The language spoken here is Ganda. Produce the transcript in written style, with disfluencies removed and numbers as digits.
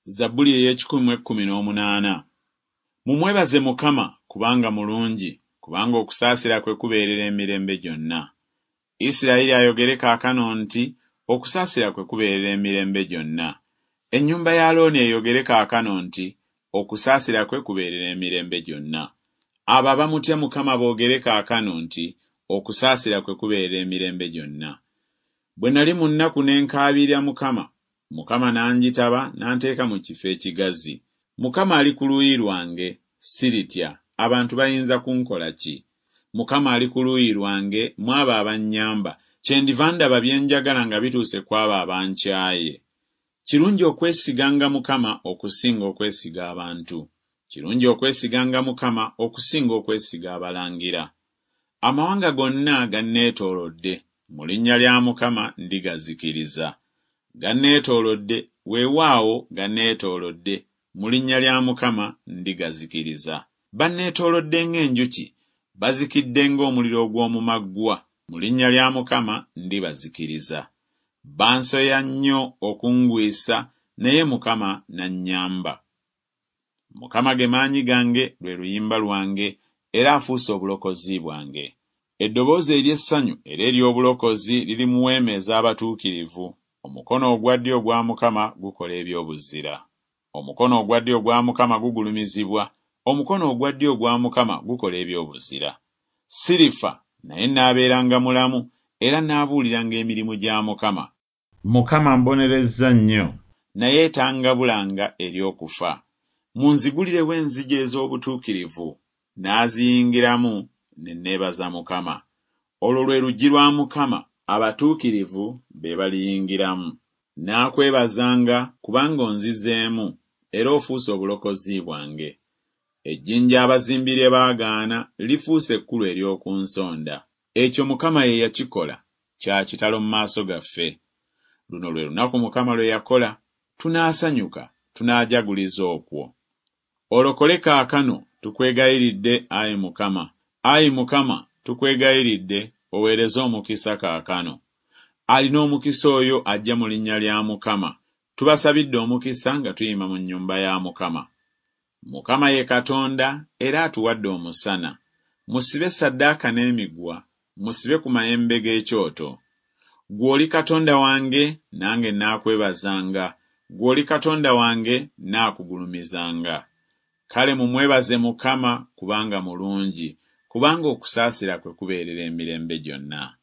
Zabbuli ey'ekikumi mu ekkumi n'omunaana. Mumwebaze Mukama, kubanga mulungi, kubanga okusaasira kwe kubeerera emirembe gyonna. Isirayiri ayogere kaakano nti, Okusaasira kwe kubeerera emirembe gyonna. Ennyumba ya Alooni eyogere kaakano nti, Okusaasira kwe kubeerera emirembe gyonna. Abo abamutya Mukama boogere kaakano nti, Okusaasira kwe kubeerera emirembe gyonna. Bwe nali mu nnaku ne nkaabirira Mukama, Mukama n'anjitaba n'anteeka mu kifo ekigazi. Mukama ali ku luuyi lwange, siritya, abantu bayinza kunkola ki? Mukama ali ku luuyi lwange mu abo abannyamba, kyendiva ndaba bye njagala nga bituuse ku abo abankyaye. Kirungi okwesiganga Mukama okusinga okwesiga abantu. Kirungi okwesiganga Mukama okusinga okwesiga abalangira. Amawanga gonna ganneetoolodde, mu linnya lya Mukama ndigazikiriza. Ganneetoolodde, weewaawo ganneetoolodde, mu linnya lya Mukama ndigazikiriza. Banneetoolodde ng'enjuki, bazikidde ng'omuliro ogw'omu maggwa, mu linnya lya Mukama ndibazikiriza. Bansoya nnyo okungwisa, naye Mukama n'annyamba. Mukama ge maanyi gange, lwe luyimba lwange, era afuuse obulokozi bwange. Eddoboozi ery'essanyu era ery'obulokozi liri mu weema ez'abatuukirivu, omukono ogwa ddyo ogwa Mukama gukola eby'obuzira. Omukono ogwa ddyo ogwa Mukama gugulumizibwa, omukono ogwa ddyo ogwa Mukama gukola eby'obuzira. Sirifa, naye nnaabeeranga mulamu, era nnaabuuliranga emirimu gya Mukama. Mukama ambonerezza nnyo, naye tangabulanga eri okufa. Munzigulirewo enzigi ez'obutuukirivu, naaziyingiramu, ne neebaza Mukama. Olwo lwe luggi lwa Mukama, abatuukirivu be baliyingiramu. Nnaakwebazanga, kubanga onzizeemu, era ofuuse obulokozi bwange. Ejjinja abazimbi lye baagaana lifuuse ekkulu ery'oku nsonda. Ekyo Mukama ye yakikola, kya kitalo mu maaso gaffe. Luno lwe lunaku Mukama lwe yakola, tunaasanyuka, tunaajaguliza okwo. Olokole kaakano, tukwegayiridde, ayi Mukama. Ayi Mukama, tukwegayiridde, oweereze omukisa kaakano. Alina omukisa oyo ajja mu linnya lya Mukama. Tubasabidde omukisa nga tuyima mu nnyumba ya Mukama. Mukama ye Katonda, era atuwadde omusana. Musibe ssaddaaka n'emiguwa, musibe ku mayembe g'ekyoto. Ggwe oli Katonda wange, nange nnaakwebazanga, ggwe oli Katonda wange, nnaakugulumizanga. Kale mumwebaze Mukama, kubanga mulungi, kubanga okusaasira kwe kubeerera emirembe gyonna.